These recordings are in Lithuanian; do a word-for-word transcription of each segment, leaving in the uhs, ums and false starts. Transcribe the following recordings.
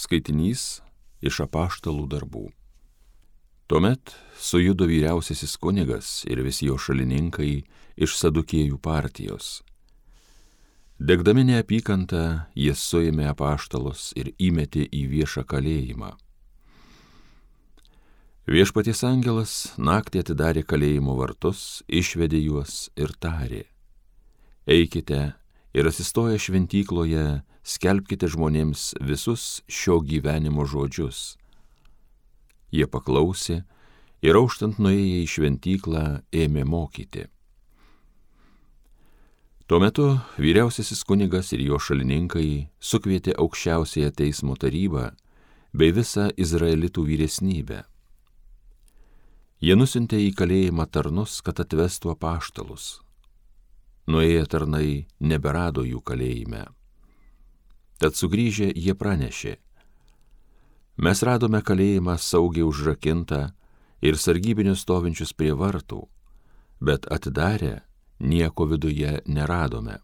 Skaitinys iš apaštalų darbų. Tuomet sujudo vyriausiasis kunigas ir visi jo šalininkai iš sadukėjų partijos. Degdami neapykantą, jie suėmė apaštalus ir įmetė į viešą kalėjimą. Viešpaties angelas naktį atidarė kalėjimo vartus, išvedė juos ir tarė: Eikite ir atsistoję šventykloje, skelbkite žmonėms visus šio gyvenimo žodžius. Jie paklausė ir auštant nuėję į šventyklą ėmė mokyti. Tuo metu vyriausiasis kunigas ir jo šalininkai sukvietė aukščiausiąją teismo tarybą bei visą izraelitų vyresnybę. Jie nusiuntė į kalėjimą tarnus, kad atvestų apaštalus. Nuėję tarnai neberado jų kalėjime. Tad sugrįžę jie pranešė: Mes radome kalėjimą saugiai užrakintą ir sargybinius stovinčius prie vartų, bet atidarę nieko viduje neradome.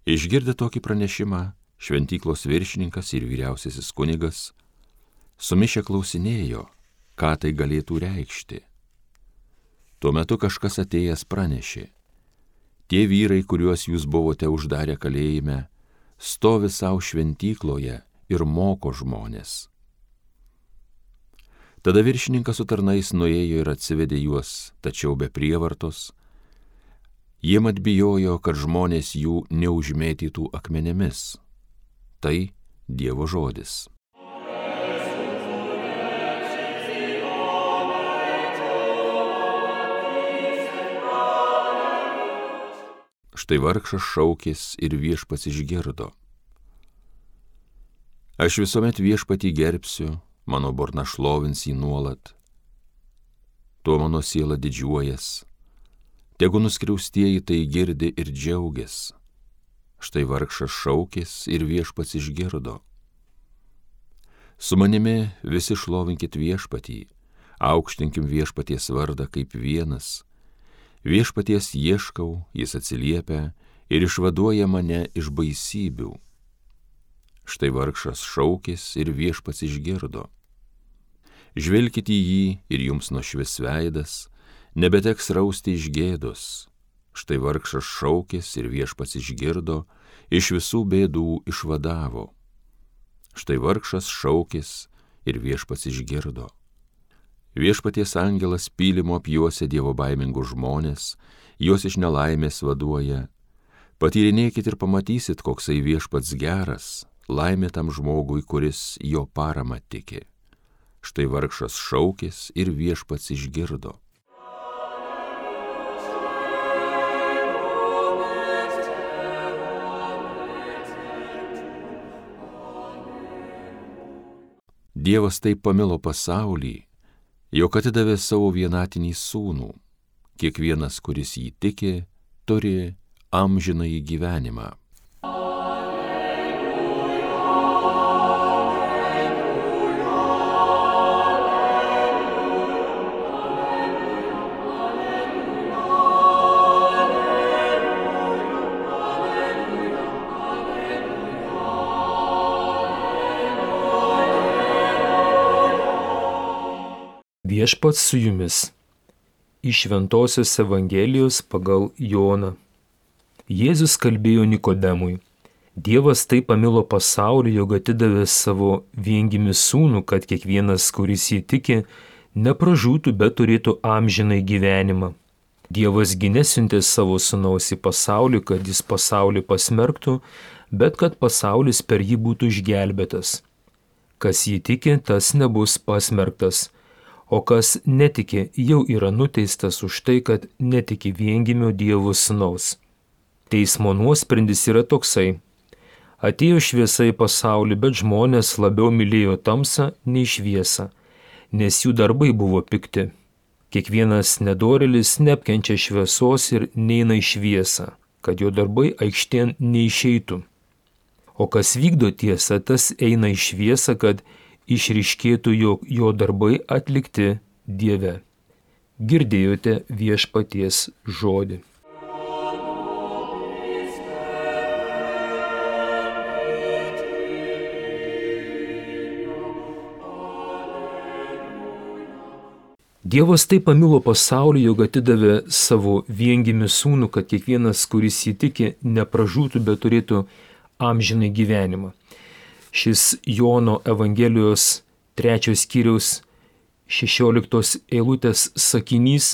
Išgirdę tokį pranešimą, šventyklos viršininkas ir vyriausiasis kunigas sumišę klausinėjo, ką tai galėtų reikšti. Tuo metu kažkas atėjęs pranešė: Tie vyrai, kuriuos jūs buvote uždarę kalėjime, stovi savo šventykloje ir moko žmonės. Tada viršininkas su tarnais nuėjo ir atsivedė juos, tačiau be prievartos. Jie mat bijojo, kad žmonės jų neužmėtytų akmenėmis. Tai Dievo žodis. Štai vargšas šaukės ir viešpats išgirdo. Aš visuomet viešpatį gerbsiu, mano burna šlovins jį nuolat. Tuo mano siela didžiuojas, tegu nuskriaustieji tai girdi ir džiaugias. Štai vargšas šaukės ir viešpats išgirdo. Su manimi visi šlovinkit viešpatį, aukštinkim viešpaties vardą kaip vienas. Viešpaties ieškau, jis atsiliepia ir išvaduoja mane iš baisybių. Štai vargšas šaukės ir viešpats išgirdo. Žvelkit į jį ir jums nušvis veidas, nebeteks rausti iš gėdos. Štai vargšas šaukės ir viešpats išgirdo, iš visų bėdų išvadavo. Štai vargšas šaukės ir viešpats išgirdo. Viešpaties angelas pylimo apjuosia dievo baimingus žmonės, juos iš nelaimės vaduoja. Patyrinėkit ir pamatysit, koksai viešpats geras, laimė tam žmogui, kuris jo paramą tiki. Štai vargšas šaukės ir viešpats išgirdo. Dievas taip pamilo pasaulį, jog atidavė savo vienatinį sūnų. Kiekvienas, kuris jį tiki, turi amžinąjį gyvenimą. Viešpats su jumis. Iš Šventosios Evangelijos pagal Joną. Jėzus kalbėjo Nikodemui: Dievas taip pamilo pasaulį, jog atidavė savo viengimį sūnų, kad kiekvienas, kuris jį tiki, nepražūtų, bet turėtų amžinai gyvenimą. Dievas gi nesiuntė savo sūnaus į pasaulį, kad jis pasaulį pasmerktų, bet kad pasaulis per jį būtų išgelbėtas. Kas jį tiki, tas nebus pasmerktas. O kas netiki, jau yra nuteistas už tai, kad netiki viengimio Dievo sūnaus. Teismo nuosprendis yra toksai: atėjo šviesa į pasaulį, bet žmonės labiau mylėjo tamsą nei šviesą, nes jų darbai buvo pikti. Kiekvienas nedorėlis neapkenčia šviesos ir neina į šviesą, kad jo darbai aikštėn neišeitų. O kas vykdo tiesą, tas eina į šviesą, kad išryškėtų, jog jo darbai atlikti Dieve. Girdėjote viešpaties žodį. Dievas taip pamilo pasaulį, jog atidavė savo viengimį sūnų, kad kiekvienas, kuris jį tiki, nepražūtų, bet turėtų amžinai gyvenimą. Šis Jono Evangelijos trečios skyriaus šešioliktos eilutės sakinys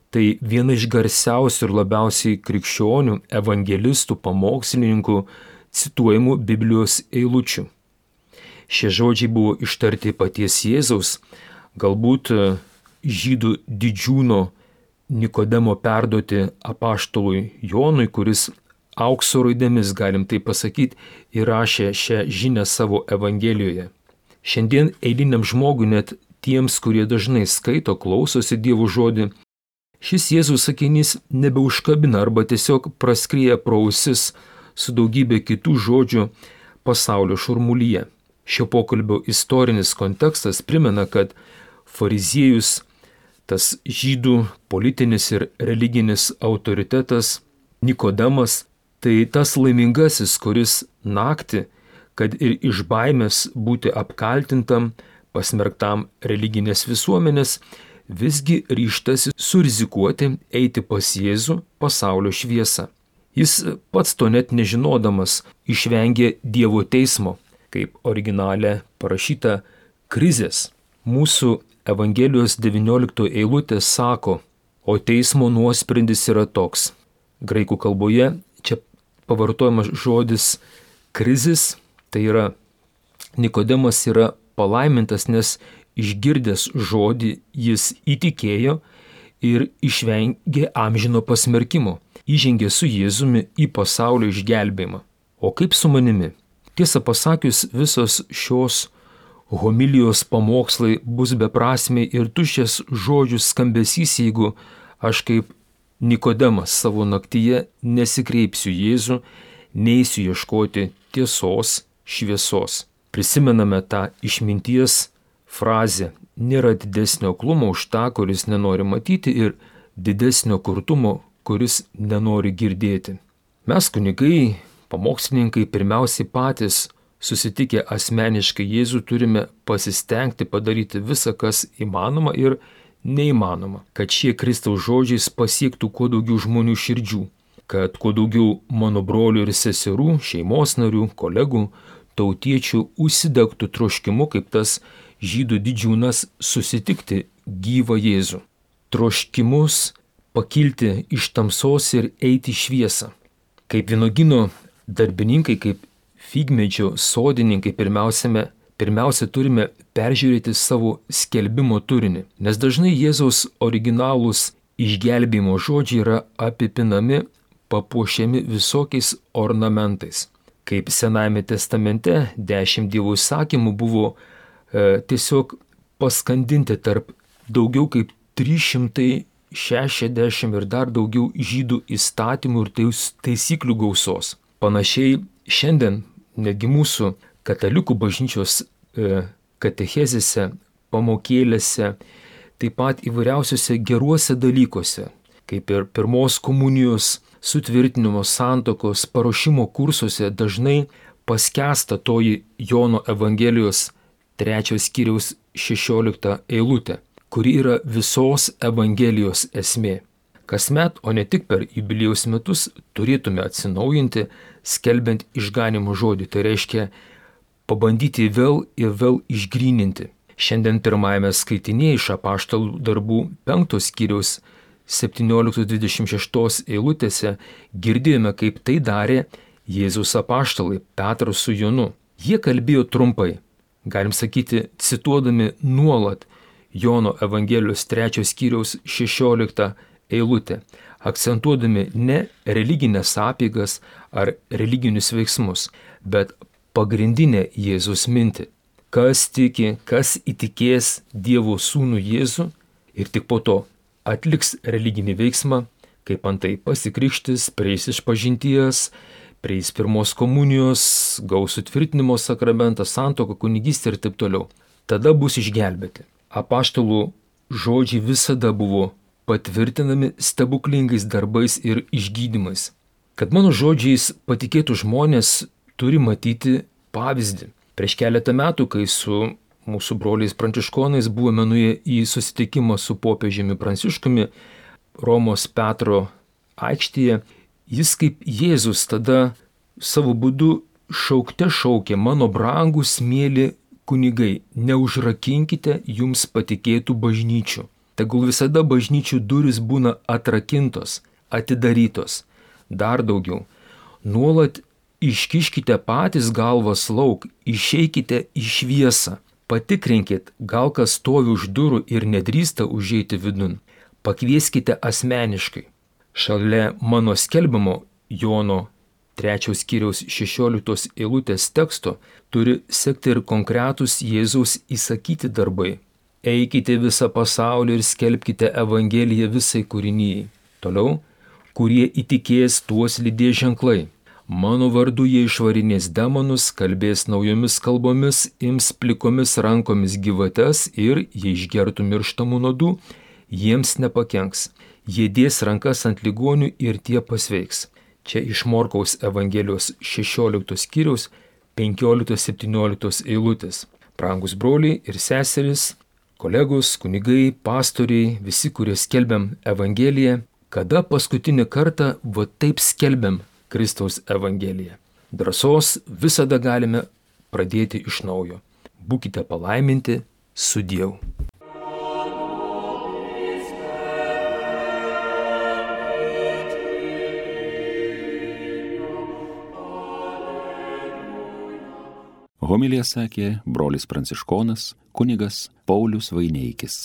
tai viena iš garsiausių ir labiausiai krikščionių, evangelistų, pamokslininkų cituojamų Biblijos eilučių. Šie žodžiai buvo ištarti paties Jėzaus, galbūt žydų didžiūno Nikodemo perduoti apaštalui Jonui, kuris aukso raidėmis, galim tai pasakyti, įrašė šią žinią savo Evangelijoje. Šiandien eiliniam žmogui, net tiems, kurie dažnai skaito, klausosi Dievo žodį, šis Jėzaus sakinys nebeužkabina arba tiesiog praskrieja pro ausis su daugybė kitų žodžių pasaulio šurmulyje. Šio pokalbio istorinis kontekstas primena, kad fariziejus, tas žydų politinis ir religinis autoritetas Nikodemas, tai tas laimingasis, kuris naktį, kad ir iš baimės būti apkaltintam, pasmerktam religinės visuomenės, visgi ryžtasi surizikuoti eiti pas Jėzų pasaulio šviesą. Jis pats to net nežinodamas išvengė Dievo teismo, kaip originale parašyta, krizės. Mūsų Evangelijos devyniolikto eilutė sako, o teismo nuosprendis yra toks. Graikų kalboje čia pavartojamas žodis krizis, tai yra Nikodemas yra palaimintas, nes išgirdęs žodį jis įtikėjo ir išvengė amžino pasmerkimo, įžengė su Jėzumi į pasaulio išgelbėjimą. O kaip su manimi? Tiesą pasakius, visos šios homilijos pamokslai bus beprasmiai ir tuščias žodžių skambesys, jeigu aš kaip Nikodemas savo naktyje nesikreipsiu Jėzų, neisiu ieškoti tiesos, šviesos. Prisimename tą išminties frazę, nėra didesnio aklumo už tą, kuris nenori matyti, ir didesnio kurtumo, kuris nenori girdėti. Mes kunigai, pamokslininkai, pirmiausiai patys susitikę asmeniškai Jėzų turime pasistengti padaryti visą, kas įmanoma ir neįmanoma, kad šie Kristaus žodžiais pasiektų kuo daugiau žmonių širdžių, kad kuo daugiau mano brolių ir seserų, šeimos narių, kolegų, tautiečių užsidegtų troškimu, kaip tas žydų didžiūnas, susitikti gyvą Jėzų. Troškimus pakilti iš tamsos ir eiti į šviesą. Kaip vynuogyno darbininkai, kaip figmedžio sodininkai, pirmiausia, pirmiausia turime peržiūrėti savo skelbimo turinį, nes dažnai Jėzaus originalūs išgelbėjimo žodžiai yra apipinami, papuošiami visokiais ornamentais. Kaip Senajame testamente dešimt Dievo įsakymų buvo e, tiesiog paskandinti tarp daugiau kaip trys šimtai šešiasdešimt ir dar daugiau žydų įstatymų ir taisyklių gausos. Panašiai šiandien netgi mūsų katalikų bažnyčios e, katechezėse, pamokėlėse, taip pat įvairiausiuose geruose dalykuose, kaip ir pirmos komunijos, sutvirtinimo, santokos, paruošimo kursuose dažnai paskęsta toji Jono Evangelijos trečios skyriaus šešiolikta eilutė, kuri yra visos Evangelijos esmė. Kasmet, o ne tik per jubiliejaus metus, turėtume atsinaujinti, skelbiant išganimo žodį. Tai reiškia pabandyti vėl ir vėl išgryninti. Šiandien pirmajame skaitinėje iš apaštalų darbų penktos skyriaus septynioliktos dvidešimt šeštos eilutėse girdėjome, kaip tai darė Jėzaus apaštalai Petras su Jonu. Jie kalbėjo trumpai, galim sakyti, cituodami nuolat Jono Evangelijos trečios skyriaus šešioliktą eilutę, akcentuodami ne religinės apeigas ar religinius veiksmus, bet pagrindinę Jėzus mintį. Kas tiki, kas įtikės Dievo sūnų Jėzų ir tik po to atliks religinį veiksmą, kaip antai pasikrikštis, prieis išpažinties, prieis pirmos komunijos, gaus sutvirtinimo sakramentą, santuoką, kunigystę ir taip toliau. Tada bus išgelbėti. Apaštalų žodžiai visada buvo patvirtinami stebuklingais darbais ir išgydymais. Kad mano žodžiais patikėtų žmonės, turi matyti pavyzdį. Prieš keletą metų, kai su mūsų broliais pranciškonais buvome nuėję į susitikimą su popiežiumi Pranciškumi Romos Petro aikštėje. Jis kaip Jėzus tada savo būdu šaukte šaukė: mano brangūs mėly kunigai, neužrakinkite jums patikėtų bažnyčių. Tegul visada bažnyčių durys būna atrakintos, atidarytos. Dar daugiau, nuolat iškiškite patys galvas lauk, išeikite į šviesą. Patikrinkit, gal kas stovi už durų ir nedrįsta užeiti vidun. Pakvieskite asmeniškai. Šalia mano skelbiamo Jono trečios skyriaus šešioliktos eilutės teksto turi sekti ir konkretūs Jėzaus įsakyti darbai. Eikite visą pasaulį ir skelbkite Evangeliją visai kūrinijai. Toliau, kurie įtikės, tuos lydės ženklai. Mano vardu jie išvarinės demonus, kalbės naujomis kalbomis, ims plikomis rankomis gyvates ir, jei išgertų mirštamų nuodų, jiems nepakenks. Jie dės rankas ant ligonių ir tie pasveiks. Čia iš Morkaus Evangelijos šešioliktos skyriaus penkioliktos septynioliktos eilutės. Brangus broliai ir seserys, kolegos, kunigai, pastoriai, visi, kurie skelbiam Evangeliją, kada paskutinį kartą va taip skelbiam Kristaus Evangeliją. Drąsos visada galime pradėti iš naujo. Būkite palaiminti, sudieu. Homiliją sakė brolis pranciškonas kunigas Paulius Vaineikis.